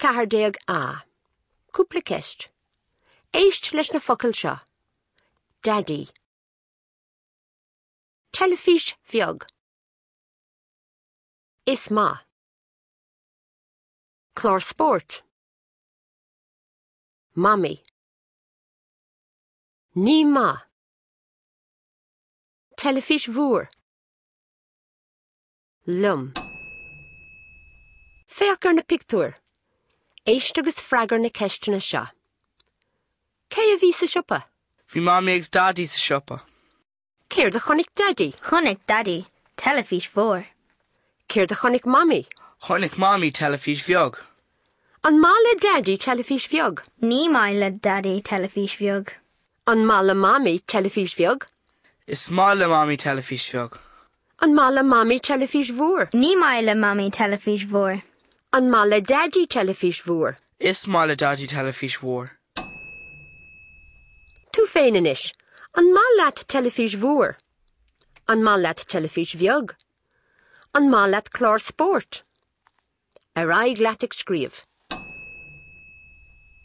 14A. Cúpla ceist. Éist leis na focail seo. Daidí. Teilifís bheag. Is maith. Clár spóirt. Mamaí. Ní maith. Teilifís mhór. Liom. Féach ar na pictiúir. Éist agus freagair na ceisteanna seo. Cé a bhí sa siopa? Bhí Mamaí agus Daidí sa siopa. Céard a chonaic Daidí? Chonaic Daidí teilifís mhór. Céard a chonaic Mamaí? Chonaic Mamaí teilifís bheag. An maith le Daidí teilifís bheag? Ní maith le Daidí teilifís bheag. An maith le Mamaí teilifís bheag? Is maith le Mamaí teilifís bheag. An maith le Mamaí teilifís mhór? Ní maith le Mamaí teilifís mhór. An maith le Daidí teilifís mhór? Is maith le Daidí teilifís mhór. Tú féin anois. An maith leat teilifís mhór? An maith leat teilifís bheag? An maith leat clár spóirt? Ar aghaidh leat ag scríobh.